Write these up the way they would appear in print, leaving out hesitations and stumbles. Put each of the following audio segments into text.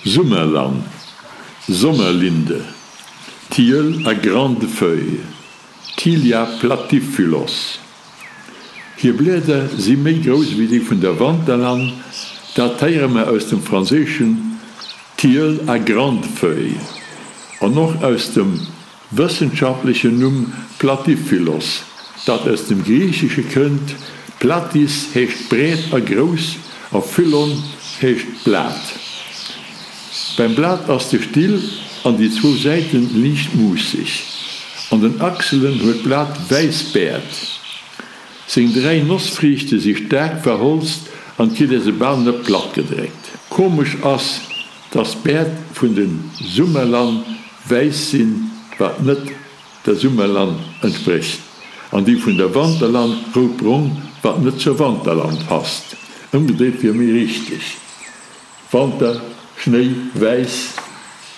Summerlann, Sommerlinde, Tilleul à grandes feuilles, Tilia platyphyllos. Hir Blieder si méi grouss ewéi déi vun der Wanterlann, dat héiere mer aus dem franséischen Tilleul à grandes feuilles an och aus dem Wëssenschaftlechen Numm Platyphyllos, dat aus dem Griichesche kënnt, platys heescht breet a grouss a phyllon heescht Blat. Beim Blat ass de Still an déi zwou Säiten liicht muusseg. An den Achselen huet d'Blat wäiss Bäert. Seng 3 Nossfriichte si staark verholzt an kritt ee se bal net platt gedréckt. Komesch ass, dass d'Bäert vun de Summerlann wäiss sinn, wat net der Summerlann entsprécht, an déi vun der Wanterlann rout-brong, wat net zur Wanterlann passt. Ëmgedréit wier méi richteg, Wanter, Schnéi, wäiss.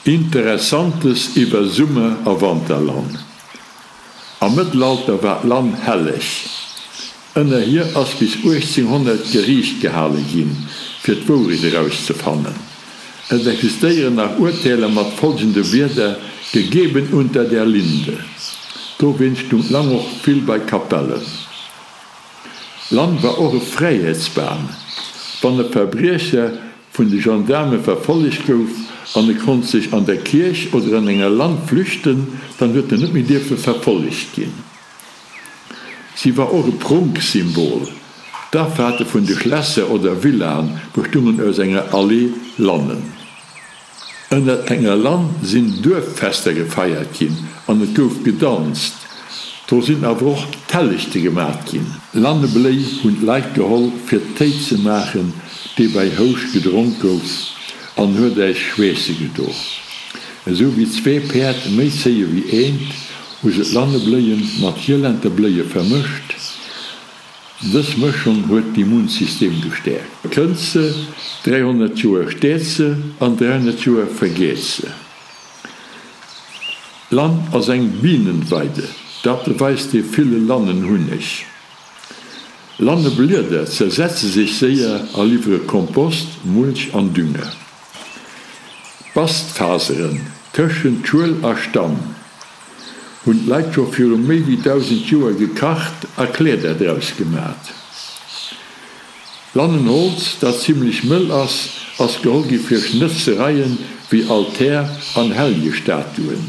Interessantes iwwer Summer a Wanterlann. Am Mëttelalter war d'Lann helleg. Ënner hir ass bis 1800 Geriicht gehale ginn, fir d'Wourecht erauszefannen. Et existéieren nach Urteeler mat folgende Wierder, Gegeben unter der Linde. Dowéinst stung d'Lann och vill bei Kapellen. D'Lann war och e Fräiheetsbam. Wann e Verbriecher vun de Gendaarme verfollegt gouf an e konnt sech an der Kierch oder an enger Lann flüchten, dann huet en net méi dierfe verfollegt ginn. Si war och e Prunksymbol. D'Afaarte vun de Schlässer oder Villaen bestungen aus enger Allee Lannen. Ënner enger Lann sinn Duerffester gefeiert ginn an et gouf gedanzt. Do sinn awer och Tellechte gemat ginn. Lannebléi hunn d'Leit geholl fir Téi ze maachen, dee bei Houscht gedronk gouf an huet äis schweesse gedo. Esou wéi zwee Päerd méi zéie wéi eent, hu se d'Lannebléie mat Hielenterbléie vermëscht. Dës Mëschung huet d'Immunsystem gestäerkt. Kënnt se, 300 Joer steet se an 300 Joer vergeet se. Lann ass eng Bienenweide, dat beweist dee ville Lannenhunneg. Lanneblieder zersetze sech séier a liwwere Kompost, Mulch an Dünger. Bastfaseren tëschent Schuel a Stamm hunn d'Leit scho viru méi wéi 1.000 Joer gekacht a Kleeder draus gemat. Lannenholz, dat zimmlech mëll ass, ass geholl gi fir Schnëtzereien wéi Altär an Helljestatuen.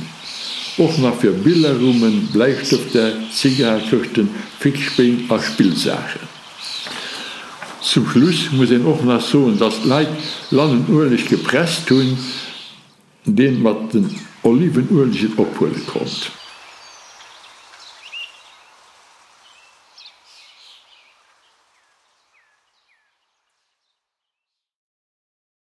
Och nach fir Billerrummen, Bläistëfter, Zigarekëschten, Fixspéin a Spillsaachen. Zum Schluss muss een och nach soen, dass d'Leit Lannenueleg gepresst hunn, deen mat den Olivenuelegen ophuele konnt.